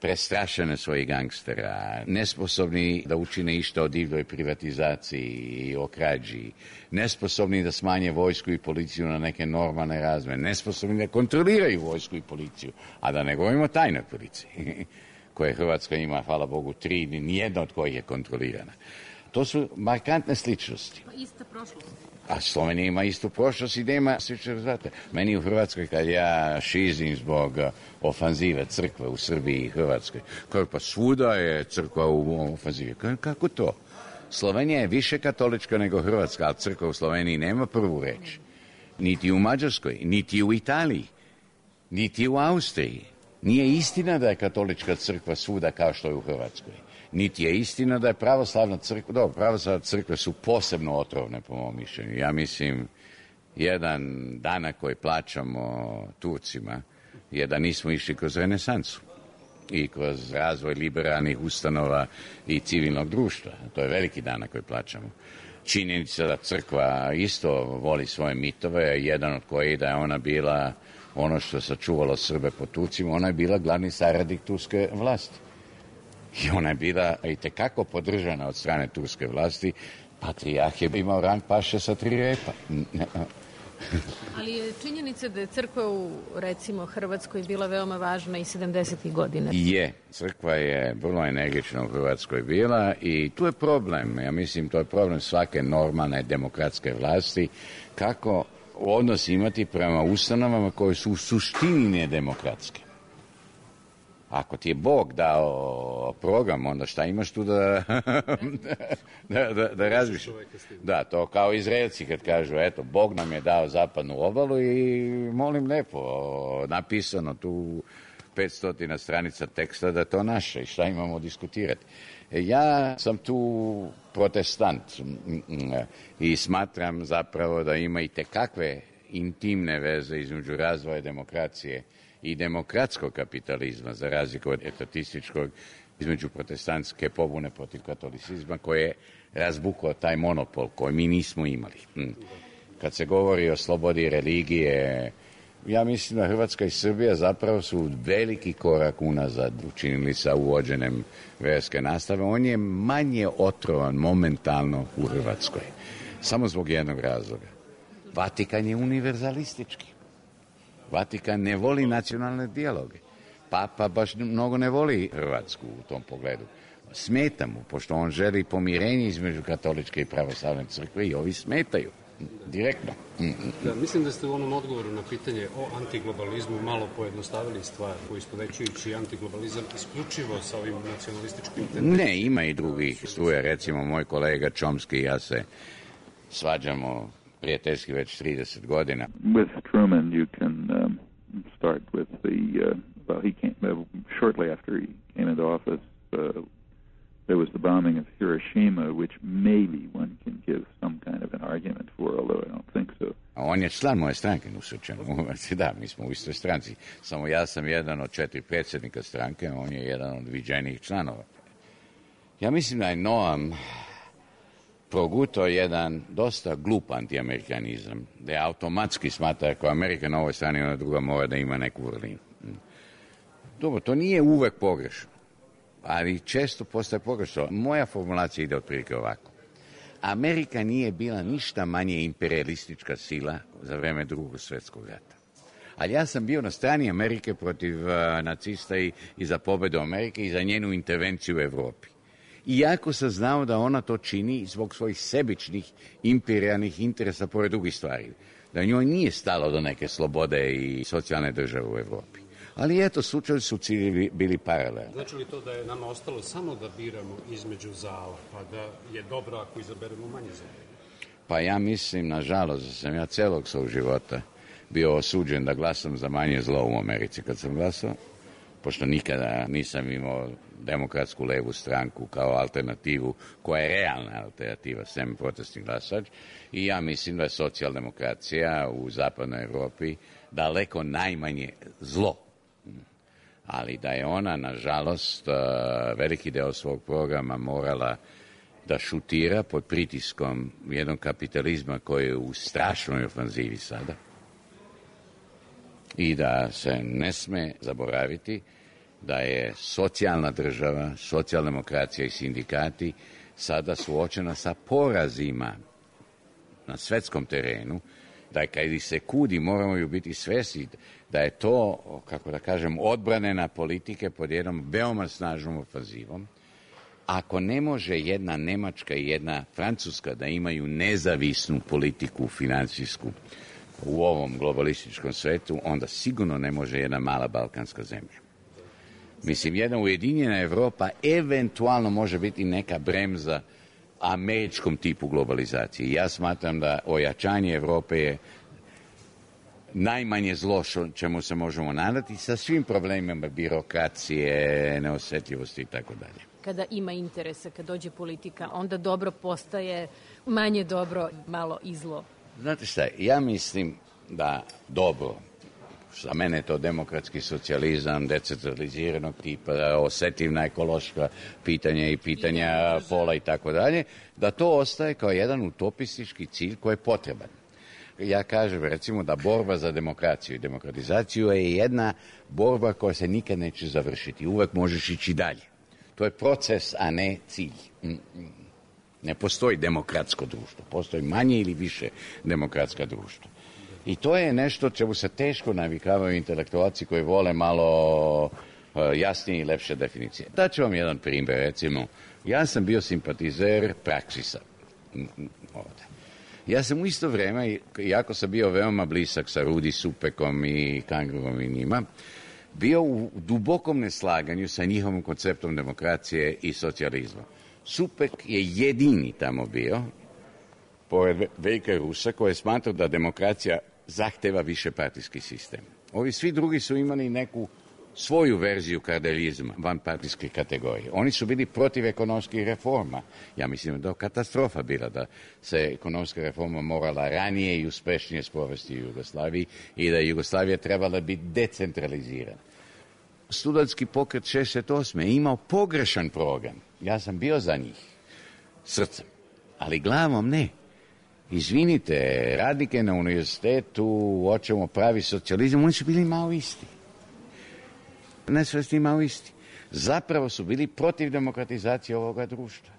prestrašene svojih gangstera, nesposobni da učine išta o divljoj privatizaciji i o krađi, nesposobni da smanje vojsku i policiju na neke normalne razmere, nesposobni da kontroliraju vojsku i policiju, a da ne govorimo o tajnoj policiji, koje Hrvatska ima, hvala Bogu, 3, nijedna od kojih je kontrolirana. To su markantne sličnosti. Pa ista prošlost. A Slovenija ima istu prošlost i nema slične rezultate. Meni u Hrvatskoj, kad ja šizim zbog ofanzive crkve u Srbiji i Hrvatskoj, kao pa svuda je crkva u ofanzivi. Kako to? Slovenija je više katolička nego Hrvatska, ali crkva u Sloveniji nema prvu reč. Niti u Mađarskoj, niti u Italiji, niti u Austriji. Nije istina da je katolička crkva svuda kao što je u Hrvatskoj. Niti je istina da je pravoslavna crkva, dobro, pravoslavne crkve su posebno otrovne po mom mišljenju. Ja mislim, jedan danak koji plaćamo Turcima je da nismo išli kroz renesansu i kroz razvoj liberalnih ustanova i civilnog društva. To je veliki danak koji plaćamo. Činjenica da crkva isto voli svoje mitove, jedan od kojih da je ona bila ono što je sačuvalo Srbe po Turcima, ona je bila glavni saradnik turske vlasti. I ona je bila i tekako podržana od strane turske vlasti. Patrijarh je imao rang paše sa 3 repa. Ali je činjenica da je crkva u, recimo, Hrvatskoj bila veoma važna i 70. godina. Je, crkva je vrlo energična u Hrvatskoj bila i tu je problem. Ja mislim, to je problem svake normalne demokratske vlasti. Kako odnos imati prema ustanovama koje su u suštini nedemokratske. Ako ti je Bog dao program, onda šta imaš tu da razmišljaš? Da, to kao Izraelci kad kažu, eto, Bog nam je dao zapadnu obalu i molim lepo, napisano tu 500 stranica teksta da je to naše i šta imamo diskutirati. Ja sam tu protestant i smatram zapravo da ima i tekakve intimne veze između razvoja demokracije i demokratskog kapitalizma, za razliku od etatističkog, između protestantske pobune protiv katolicizma, koje je razbukao taj monopol koji mi nismo imali. Kad se govori o slobodi religije, ja mislim da Hrvatska i Srbija zapravo su veliki korak unazad učinili sa uvođenjem vjerske nastave. On je manje otrovan momentalno u Hrvatskoj, samo zbog jednog razloga. Vatikan je univerzalistički. Vatikan ne voli nacionalne dijaloge. Papa baš mnogo ne voli Hrvatsku u tom pogledu. Smeta mu, pošto on želi pomirenje između katoličke i pravoslavne crkve i ovi smetaju. Direktno. Da, mislim da ste u onom odgovoru na pitanje o antiglobalizmu malo pojednostavili stvar, poistovećujući antiglobalizam isključivo sa ovim nacionalističkim tendencijama. Ne, ima i drugih struja. Recimo, moj kolega Chomsky i ja se svađamo prijateljski već 30 godina. With Truman you can start with he came shortly after he came into office. There was the bombing of Hiroshima, which maybe one can give some kind of an argument for, although I don't think so. On je član moje stranke, da, mi smo u istoj stranci. Samo ja sam jedan od 4 predsjednika stranke, a on je jedan od viđenijih članova. Ja mislim da je Noam progutao jedan dosta glup antiamerikanizam, da je automatski smatra ako Amerika na ovoj strani, ona druga mora da ima neku vrlinu. Dobro, to nije uvek pogrešno, ali često postaje pogrešno. Moja formulacija ide otprilike ovako. Amerika nije bila ništa manje imperialistička sila za vreme Drugog svjetskog rata. Ali ja sam bio na strani Amerike protiv nacista i za pobedu Amerike i za njenu intervenciju u Evropi. Iako sam znao da ona to čini zbog svojih sebičnih imperijalnih interesa pored drugih stvari. Da njoj nije stalo do neke slobode i socijalne države u Evropi. Ali eto, slučajevi su ciljevi bili paralelni. Znači li to da je nama ostalo samo da biramo između zala, pa da je dobro ako izaberemo manje zala? Pa ja mislim, nažalost, da sam ja celog svog života bio osuđen da glasam za manje zlo u Americi kad sam glasao, pošto nikada nisam imao demokratsku levu stranku kao alternativu, koja je realna alternativa, sem protestni glasač, i ja mislim da je socijaldemokracija u zapadnoj Evropi daleko najmanje zlo. Ali da je ona, nažalost, veliki deo svog programa morala da šutira pod pritiskom jednog kapitalizma koji je u strašnoj ofanzivi sada i da se ne sme zaboraviti da je socijalna država, socijaldemokracija i sindikati sada suočena sa porazima na svetskom terenu, da kad se kudi moramo ju biti svesni da je to, kako da kažem, odbranena politike pod jednom veoma snažnom ofanzivom. Ako ne može jedna Nemačka i jedna Francuska da imaju nezavisnu politiku finansijsku u ovom globalističkom svetu, onda sigurno ne može jedna mala balkanska zemlja. Mislim, jedna ujedinjena Evropa eventualno može biti neka bremza američkom tipu globalizacije. Ja smatram da ojačanje Evrope je najmanje zlo čemu se možemo nadati sa svim problemima birokracije, neosjetljivosti i tako dalje. Kada ima interesa, kad dođe politika, onda dobro postaje manje dobro, malo i zlo. Znate šta, ja mislim da dobro, za mene je to demokratski socijalizam, decentraliziranog tipa, osjetljiva ekološka pitanja i pitanja pola i tako dalje, da to ostaje kao jedan utopistički cilj koji je potreban. Ja kažem, recimo, da borba za demokraciju i demokratizaciju je jedna borba koja se nikad neće završiti. Uvek možeš ići dalje. To je proces, a ne cilj. Ne postoji demokratsko društvo. Postoji manje ili više demokratska društva. I to je nešto čemu se teško navikavaju intelektualci koji vole malo jasnije i lepše definicije. Daću vam jedan primjer, recimo. Ja sam bio simpatizer Praksisa ovde. Ja sam u isto vreme, iako sam bio veoma blisak sa Rudi Supekom i Kangrom i njima, bio u dubokom neslaganju sa njihovim konceptom demokracije i socijalizma. Supek je jedini tamo bio, pored Veljka Rusa, koji je smatrao da demokracija zahteva više partijski sistem. Ovi svi drugi su imali neku svoju verziju kardeljizma, vanpartijske kategorije. Oni su bili protiv ekonomskih reforma. Ja mislim da je katastrofa bila da se ekonomska reforma morala ranije i uspešnije sprovesti u Jugoslaviji i da je Jugoslavija trebala biti decentralizirana. Studentski pokret 68. je imao pogrešan program. Ja sam bio za njih srcem, ali glavom ne. Izvinite, radnike na univerzitetu, hoćemo pravi socijalizam, oni su bili malo isti. Nesvesni malo isti. Zapravo su bili protiv demokratizacije ovoga društva,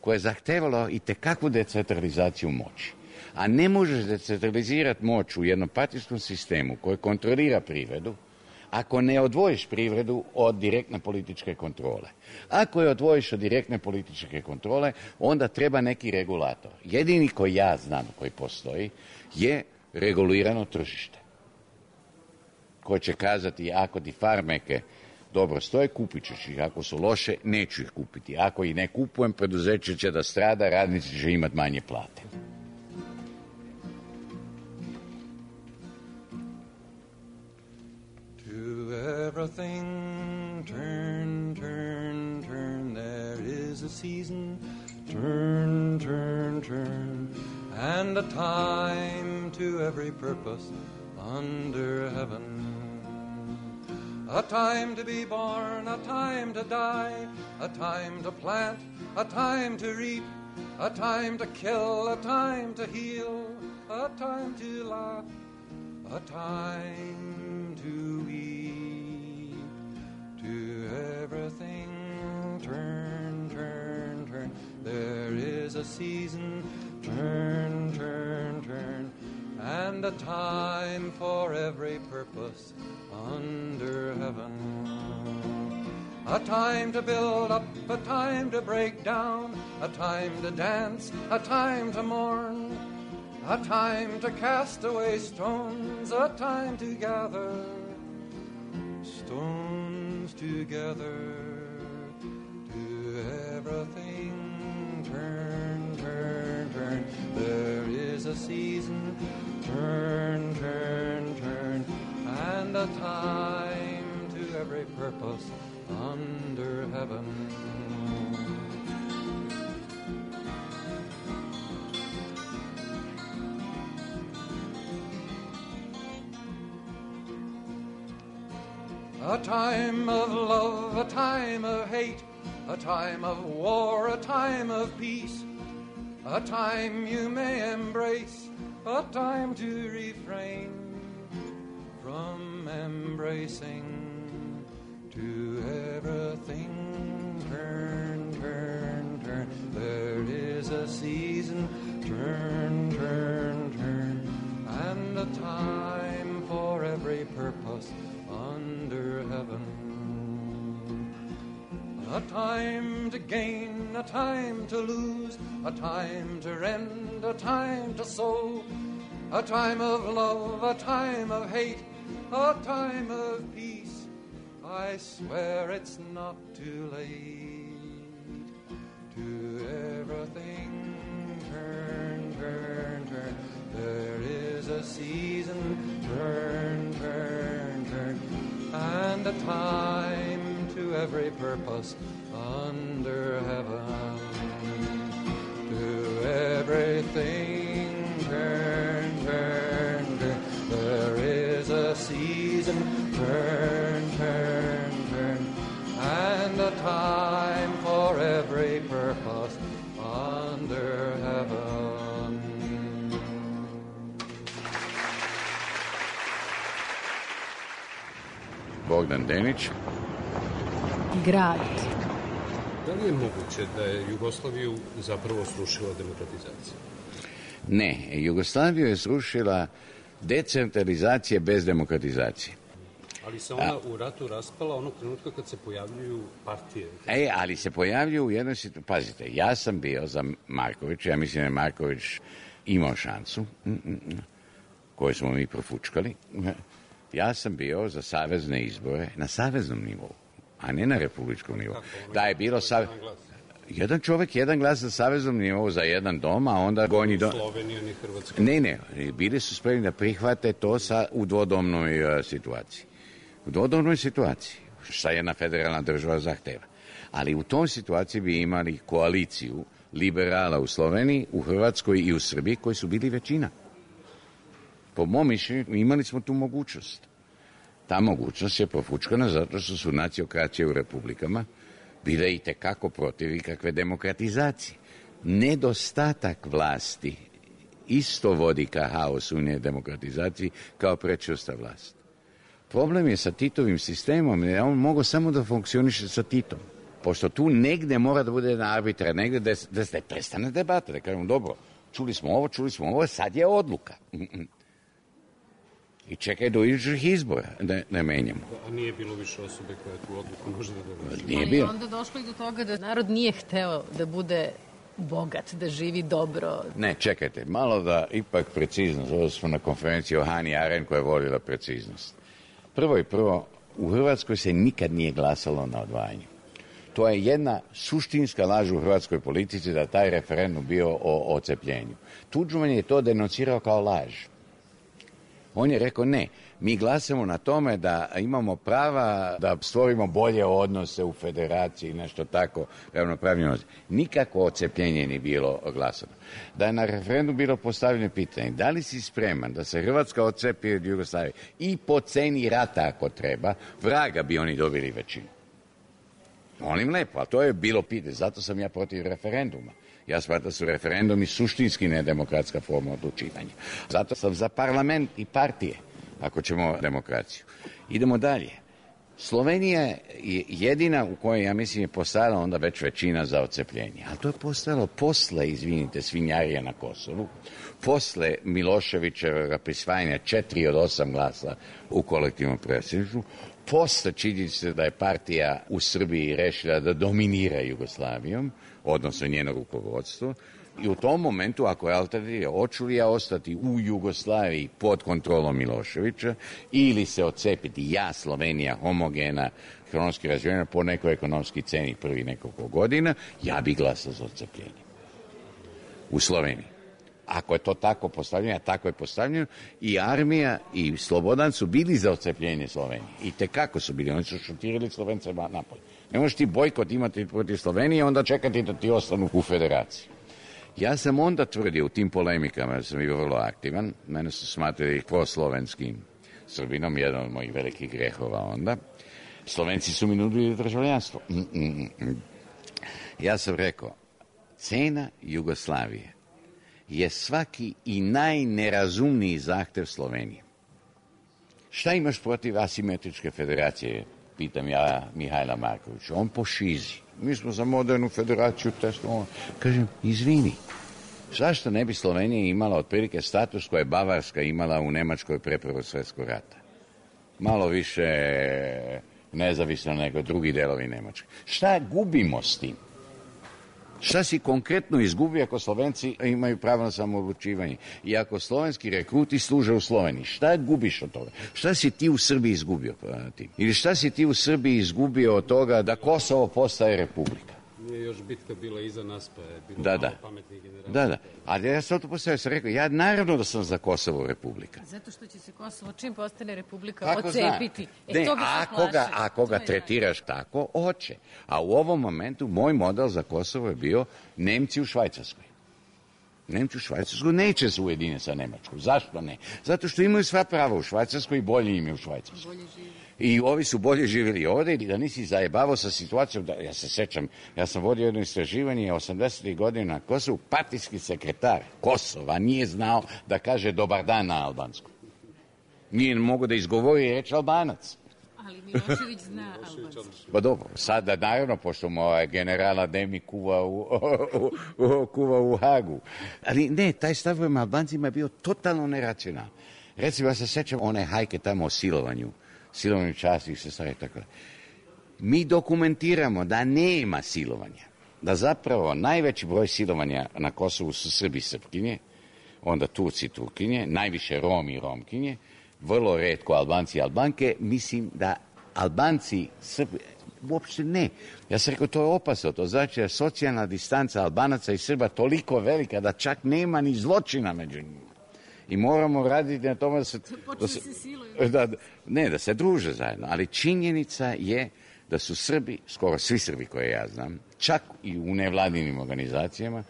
koje je zahtevalo i tekakvu decentralizaciju moći. A ne možeš decentralizirati moć u jednopartijskom sistemu koji kontrolira privredu, ako ne odvojiš privredu od direktne političke kontrole. Ako je odvojiš od direktne političke kontrole, onda treba neki regulator. Jedini koji ja znam, koji postoji, je regulirano tržište. Koje će kazati, ako ti farmeke dobro stoje, kupit ćeš ih. Ako su loše, neću ih kupiti. Ako ih ne kupujem, preduzeće će da strada, radnici će imati manje plate. Everything turn, turn, turn, there is a season, turn, turn, turn, and a time to every purpose under heaven. A time to be born, a time to die, a time to plant, a time to reap, a time to kill, a time to heal, a time to laugh, a time to weep, to everything turn, turn, turn. There is a season, turn, turn, turn, and a time for every purpose under heaven. A time to build up, a time to break down, a time to dance, a time to mourn, a time to cast away stones, a time to gather stones together. To everything turn, turn, turn. There is a season, turn, turn, turn, and a time to every purpose under heaven. A time of love, a time of hate, a time of war, a time of peace, a time you may embrace, a time to refrain from embracing. To everything turn, turn, turn. There is a season, turn, turn, turn, and a time for every purpose under heaven. A time to gain, a time to lose, a time to rend, a time to sow, a time of love, a time of hate, a time of peace. I swear it's not too late. To everything turn, turn, turn. There is a season, turn, turn, turn, and a time to every purpose under heaven. To everything turn, turn, turn. There is a season, turn, turn, turn, and a time for every purpose under heaven. Bogdan Denić. Grad. Da li je moguće da je Jugoslaviju zapravo srušila demokratizacija? Ne, Jugoslaviju je srušila decentralizacija bez demokratizacije. Ali se ona u ratu raspala onog trenutka kad se pojavljuju partije. Ali se pojavljuju u jednoj situaciji. Pazite, ja sam bio za Markovića, ja mislim da je Marković imao šansu, koju smo mi profučkali. Ja sam bio za savezne izbore na saveznom nivou, a ne na republičkom nivou. Da je bilo jedan čovjek, jedan glas za saveznom nivou za jedan dom, a onda gornji dom. Slovenija ni Hrvatska. Ne, bili su spremni da prihvate to u dvodomnoj situaciji. U dodobnoj situaciji, šta jedna federalna država zahteva. Ali u tom situaciji bi imali koaliciju liberala u Sloveniji, u Hrvatskoj i u Srbiji koji su bili većina. Po mom mišljenju imali smo tu mogućnost. Ta mogućnost je profučkana zato što su naciokracije u republikama bile i tekako protiv ikakve demokratizacije. Nedostatak vlasti isto vodi ka haosu i demokratizaciji kao prečvrsta vlast. Problem je sa Titovim sistemom, jer on mogao samo da funkcioniše sa Titom. Pošto tu negde mora da bude jedna arbitra, negde da se prestane debata, da kažemo dobro, čuli smo ovo, sad je odluka. I čekaj do idućih izbora da ne menjamo. A nije bilo više osobe koja tu odluku može da donese. Nije bilo. Onda došlo i do toga da narod nije hteo da bude bogat, da živi dobro. Ne, čekajte, malo da ipak preciznost. Ovo smo na konferenciji o Hani Arendt koja je volila preciznost. Prvo, u Hrvatskoj se nikad nije glasalo na odvajanju. To je jedna suštinska laž u hrvatskoj politici da taj referendum bio o odcepljenju. Tuđman je to denonsirao kao laž. On je rekao ne, mi glasamo na tome da imamo prava da stvorimo bolje odnose u federaciji, nešto tako, ravnopravni odnos. Nikako odcepljenje nije bilo glasano. Da je na referendum bilo postavljeno pitanje, da li si spreman da se Hrvatska odcepi od Jugoslavije i po ceni rata ako treba, vraga bi oni dobili većinu. Molim lepo, a to je bilo pitanje, zato sam ja protiv referenduma. Ja smatram da su referendumi suštinski nedemokratska forma odlučivanja. Zato sam za parlament i partije, ako ćemo demokraciju. Idemo dalje. Slovenija je jedina u kojoj, ja mislim, je postojala onda već većina za odcepljenje. Ali to je postojalo posle, izvinite, svinjarija na Kosovu, posle Miloševićevog prisvajanja 4 od 8 glasa u kolektivnom predsjedništvu, posle činjenice da je partija u Srbiji rešila da dominira Jugoslavijom, odnosno njeno rukovodstvo, i u tom momentu, ako je alternativa, hoću li ja ostati u Jugoslaviji pod kontrolom Miloševića ili se odcepiti ja, Slovenija, homogena, ekonomski razvijena po nekoj ekonomski ceni prvi nekoliko godina, ja bih glasao za odcepljenje. U Sloveniji. Ako je to tako postavljeno, a tako je postavljeno, i armija i Slobodan su bili za odcepljenje Slovenije. I tekako su bili, oni su šutirali Slovence napolje. Ne možeš ti bojkot imati protiv Slovenije, onda čekati da ti ostanu u federaciji. Ja sam onda tvrdio u tim polemikama, da sam bio vrlo aktivan, mene su smatrali proslovenskim Srbinom, jedan od mojih velikih grehova onda. Slovenci su mi nudili državljanstvo. Ja sam rekao, cena Jugoslavije je svaki i najnerazumniji zahtev Slovenije. Šta imaš protiv asimetričke federacije? Pitam ja Mihajla Markovića. On po šizi. Mi smo za modernu federaciju testovali. Kažem, izvini, zašto ne bi Slovenija imala otprilike status koje je Bavarska imala u Nemačkoj pre Prvog svjetskog rata? Malo više nezavisno nego drugi delovi Nemačke. Šta gubimo s tim? Šta si konkretno izgubio ako Slovenci imaju pravo na samoodlučivanje i ako slovenski rekruti služe u Sloveniji? Šta gubiš od toga? Šta si ti u Srbiji izgubio? Ili šta si ti u Srbiji izgubio od toga da Kosovo postaje republika? Nije još bitka bila iza nas, pa je bilo malo pametnih generacija. Da. Ali ja sam to postavio, sam rekao, ja naravno da sam za Kosovo republika. Zato što će se Kosovo, čim postane republika, odcepiti. Ako ga tretiraš tako, hoće. A u ovom momentu moj model za Kosovo je bio Nemci u Švajcarskoj. Nemci u Švajcarskoj neće se ujediniti sa Nemačkom. Zašto ne? Zato što imaju sva prava u Švajcarskoj i bolje im je u Švajcarskoj. I ovi su bolje živjeli ovde i da nisi zajebavao sa situacijom, da, ja se sećam, ja sam vodio jedno istraživanje 80. godina na Kosovu, partijski sekretar Kosova nije znao da kaže dobar dan na albanskom. Nije mogo da izgovori reč Albanac. Ali Milošević zna albanski. Pa dobro, sada naravno, pošto mu generala Demi kuva u Hagu. Ali ne, taj stav prema Albancima je bio totalno neracionalan. Recimo, ja se sećam one hajke tamo o silovanju časnih sestara i tako. Mi dokumentiramo da nema silovanja. Da zapravo najveći broj silovanja na Kosovu su Srbi i Srpkinje, onda Turci i Turkinje, najviše Romi i Romkinje, vrlo retko Albanci i Albanke. Mislim da Albanci, Srbi, uopšte ne. Ja sam rekao, to je opasno. To znači da je socijalna distanca Albanaca i Srba toliko velika da čak nema ni zločina među njima. I moramo raditi na tome da se druže zajedno. Ali činjenica je da su Srbi, skoro svi Srbi koje ja znam, čak i u nevladinim organizacijama,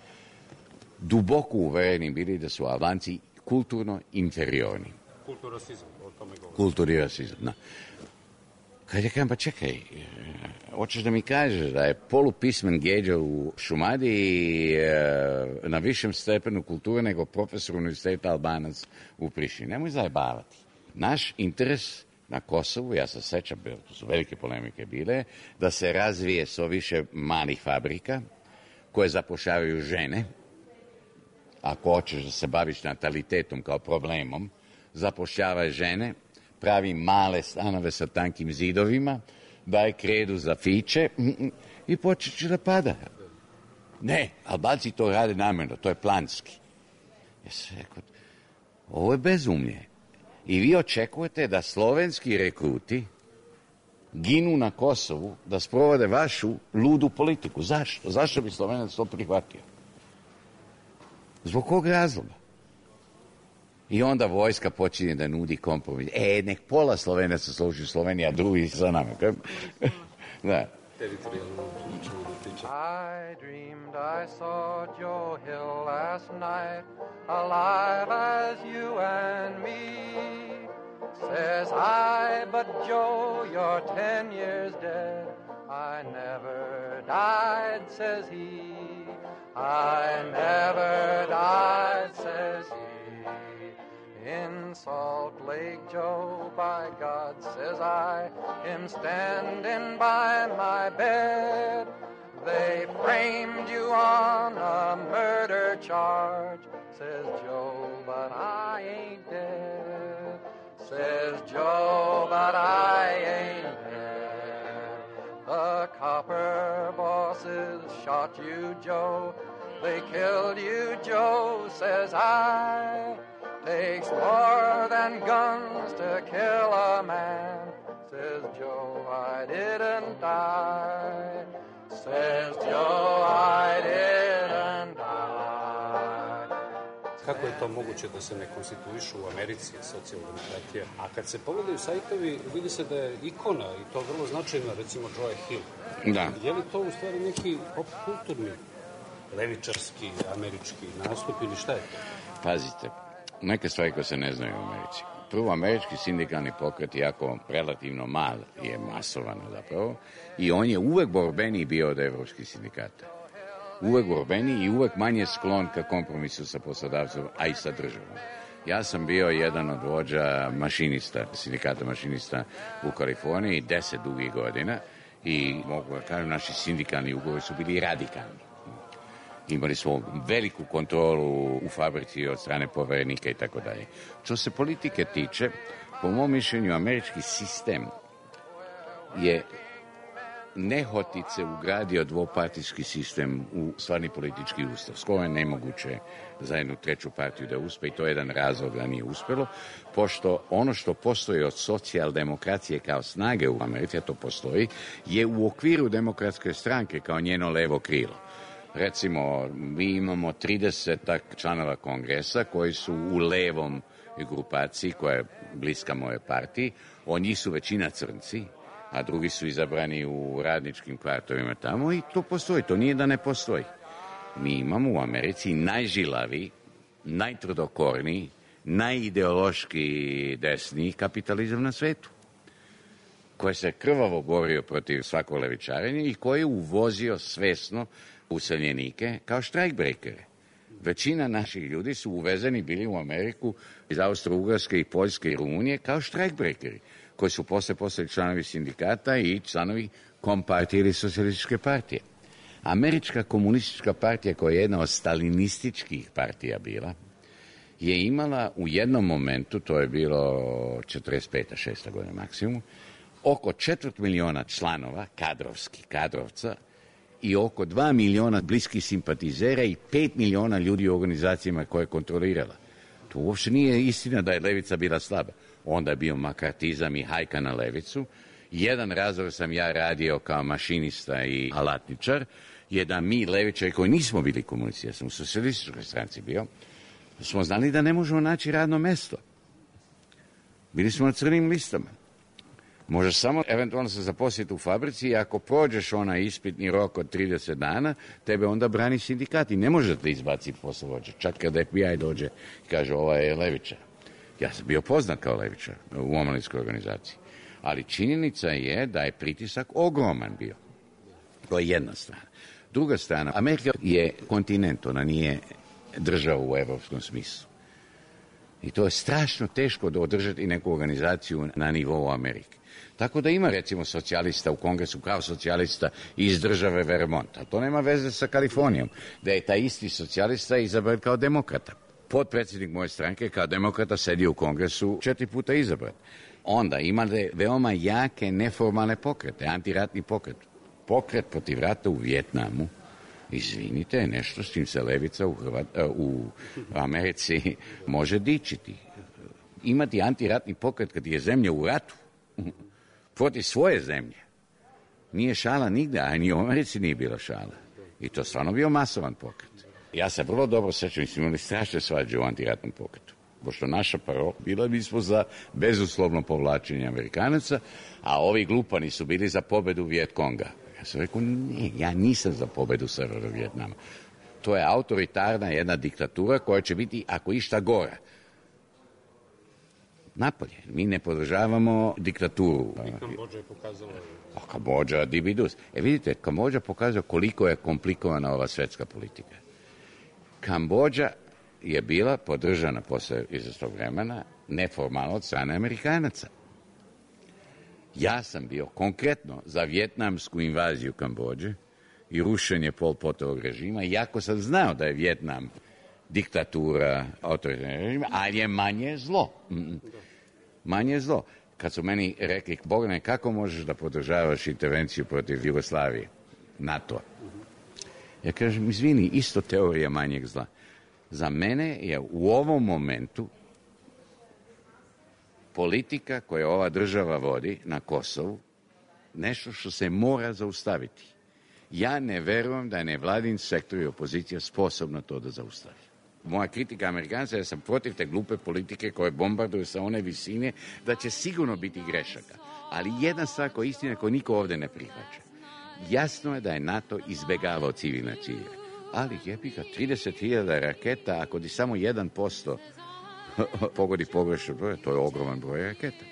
duboko uvereni bili da su Albanci kulturno inferiorni. Kulturasizam, o tome govorim. Kulturasizam, da. Kad je kažem, pa čekaj, hoćeš da mi kažeš da je polupismen Gedža u Šumadiji na višem stepenu kulture nego profesor univerziteta Albanac u Prištini. Nemoj zajebavati. Naš interes na Kosovu, ja se sećam, to su velike polemike bile, da se razvije so više malih fabrika koje zapošljavaju žene. Ako hoćeš da se baviš natalitetom kao problemom, zapošljavaj žene, pravi male stanove sa tankim zidovima, daje kredu za fiće i počeće da pada. Ne, Albanci to rade namjerno, to je planski. Ja sam rekao, ovo je bezumlje. I vi očekujete da slovenski rekruti ginu na Kosovu da sprovode vašu ludu politiku. Zašto? Zašto bi Slovenac to prihvatio? Zbog kog razloga? I onda vojska počinje da nudi kompromis. Nek pola Slovenaca služi u Sloveniji, a drugi sa nama. Da. I dreamed I saw Joe Hill last night, alive as you and me. Says I, but Joe, you're 10 years dead. I never died, says he. I never died, says he. In Salt Lake, Joe, by God, says I, him standing by my bed. They framed you on a murder charge, says Joe, but I ain't dead. Says Joe, but I ain't dead. The copper bosses shot you, Joe. They killed you, Joe, says I. Takes more than guns to kill a man, says Joe, I didn't die. Says Joe, I didn't die. Kako je to moguće da se ne konstituišu u Americi socijaldemokratija? A kad se pogledaju sajtovi, vidi se da je ikona, i to vrlo značajna, recimo Joe Hill. Da. Je li to u stvari neki pop-kulturni, levičarski, američki nastup ili šta je to? Pazite, neke stvari koje se ne znaju u Americi. Prvo, američki sindikalni pokret, iako relativno mal, je masovan zapravo, i on je uvek borbeniji bio od evropskih sindikata. Uvek borbeniji i uvek manje sklon ka kompromisu sa poslodavcom, a i sa državom. Ja sam bio jedan od vođa mašinista, sindikata mašinista u Kaliforniji 10 dugih godina i mogu da kažem, naši sindikalni ugovori su bili radikalni. Imali smo veliku kontrolu u fabrici od strane poverenika i tako dalje. Što se politike tiče, po mom mišljenju, američki sistem je nehotice ugradio dvopartijski sistem u stvarni politički ustav. Skoro je nemoguće za jednu treću partiju da uspe i to je jedan razlog da nije uspelo, pošto ono što postoji od socijaldemokracije kao snage u Americi, a to postoji, je u okviru demokratske stranke kao njeno levo krilo. Recimo, mi imamo 30 članova kongresa koji su u levom grupaciji koja je bliska moje partiji. Od njih su većina crnci, a drugi su izabrani u radničkim kvartovima tamo i to postoji. To nije da ne postoji. Mi imamo u Americi najžilaviji, najtvrdokorniji, najideološki desniji kapitalizam na svetu, koji se krvavo borio protiv svakog levičarenja i koji je uvozio svesno useljenike kao štrajkbrekere. Većina naših ljudi su uvezeni bili u Ameriku iz Austro-Ugarske i Poljske i Rumunije kao štrajkbrekeri, koji su posle postali članovi sindikata i članovi Kompartije ili Socijalističke partije. Američka komunistička partija, koja je jedna od stalinističkih partija bila, je imala u jednom momentu, to je bilo 45. 6. godina maksimum, oko 250.000 članova, kadrovca, i oko 2 miliona bliskih simpatizera i 5 miliona ljudi u organizacijama koje je kontrolirala. To uopšte nije istina da je levica bila slaba. Onda je bio makartizam i hajka na levicu. Jedan razlog sam ja radio kao mašinista i alatničar je da mi levičari koji nismo bili komunisti, ja sam u socijalističkoj stranci bio, smo znali da ne možemo naći radno mesto. Bili smo na crnim listama. Možeš samo eventualno se zaposliti u fabrici i ako prođeš onaj ispitni rok od 30 dana, tebe onda brani sindikat i ne može da te izbaci poslovođa. Čak kada FBI dođe i kaže ova je levičar. Ja sam bio poznat kao levičar u omladinskoj organizaciji. Ali činjenica je da je pritisak ogroman bio. To je jedna strana. Druga strana, Amerika je kontinent, ona nije država u evropskom smislu. I to je strašno teško da održati neku organizaciju na nivou Amerike. Tako da ima recimo socijalista u kongresu kao socijalista iz države Vermont, a to nema veze sa Kalifornijom, da je taj isti socijalista izabran kao demokrata. Potpredsjednik moje stranke kao demokrata sedio u kongresu 4 puta izabran. Onda imate veoma jake neformalne pokrete, antiratni pokret. Pokret protiv rata u Vijetnamu, izvinite, je nešto s čim se levica u Americi može dičiti. Imati antiratni pokret kad je zemlja u ratu protiv svoje zemlje nije šala nigde, a ni u Americi nije bila šala. I to stvarno bio masovan pokret. Ja se vrlo dobro sećam, mi smo imali strašne svađe u antiratnom pokretu. Pošto naša parola bila, mi smo za bezuslovno povlačenje Amerikanaca, a ovi glupani su bili za pobedu Vijetkonga. Ja sam rekao, ne, ja nisam za pobedu Severa Vijetnama. To je autoritarna jedna diktatura koja će biti, ako išta, gora. Napolje. Mi ne podržavamo diktaturu. I Kambodža je pokazala... Kambodža, dibidus. Vidite, Kambodža pokazuje koliko je komplikovana ova svetska politika. Kambodža je bila podržana posle izvesnog vremena neformalno od strane Amerikanaca. Ja sam bio konkretno za vjetnamsku invaziju Kambodže i rušenje Pol Potovog režima, iako sam znao da je Vjetnam diktatura, autoritarni režim, ali je manje zlo. Manje zlo. Kad su meni rekli, Bogdane, kako možeš da podržavaš intervenciju protiv Jugoslavije, NATO? Ja kažem, izvini, isto teorija manjeg zla. Za mene je u ovom momentu politika koju ova država vodi na Kosovu nešto što se mora zaustaviti. Ja ne verujem da je nevladin sektor i opozicija sposobna to da zaustavi. Moja kritika Amerikanca je da sam protiv te glupe politike koje bombarduju sa one visine, da će sigurno biti grešaka. Ali jedna stvar koja je istina koju niko ovde ne prihvaća. Jasno je da je NATO izbegavao civilne ciljeve. Ali jebika, 30.000 raketa, ako ti samo 1% pogodi pogrešno broj, to je ogroman broj raketa.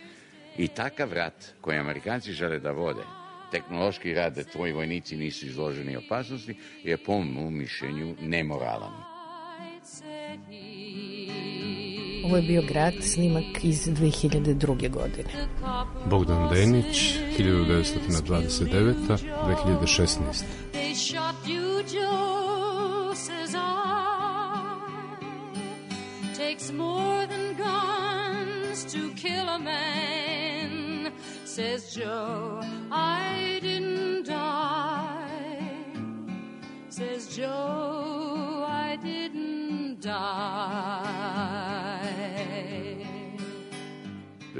I takav rat koji Amerikanci žele da vode, tehnološki rat da tvoji vojnici nisu izloženi opasnosti, je po mom mišljenju nemoralan. Ovo je bio Grad, snimak iz 2002. godine. Bogdan Denić, 1929. 2016. Takes more than guns to kill a man, says Joe, I didn't die, says Joe, I didn't die.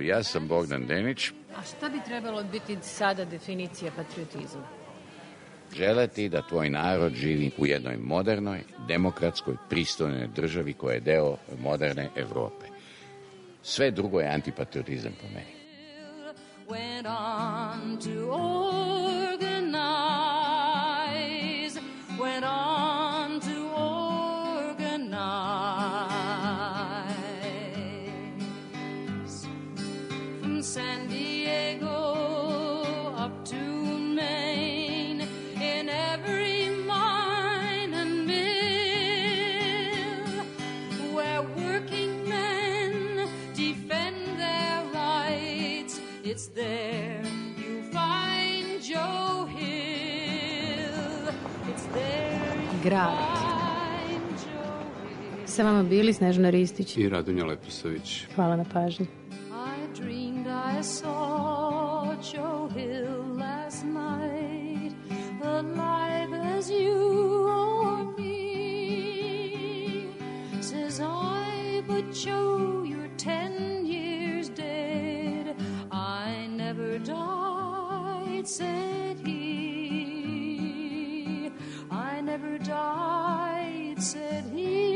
Ja sam Bogdan Denić. A šta bi trebalo biti sada definicija patriotizma? Želeti da tvoj narod živi u jednoj modernoj, demokratskoj, pristojnoj državi koja je deo moderne Evrope. Sve drugo je antipatriotizam po meni. Went on to organize, went on to organize. From San Diego up to Maine, in every mine and mill, where working men defend their rights, it's there you find Joe Hill. It's there you Grad. find Joe Hill. Sa vama bili Snežana Ristić I Radonja Leposavić. Hvala na pažnji. I dreamed I saw Joe Hill last night, alive as you or me. Says I, but Joe, you're 10 years dead. I never died, said he. I never died, said he.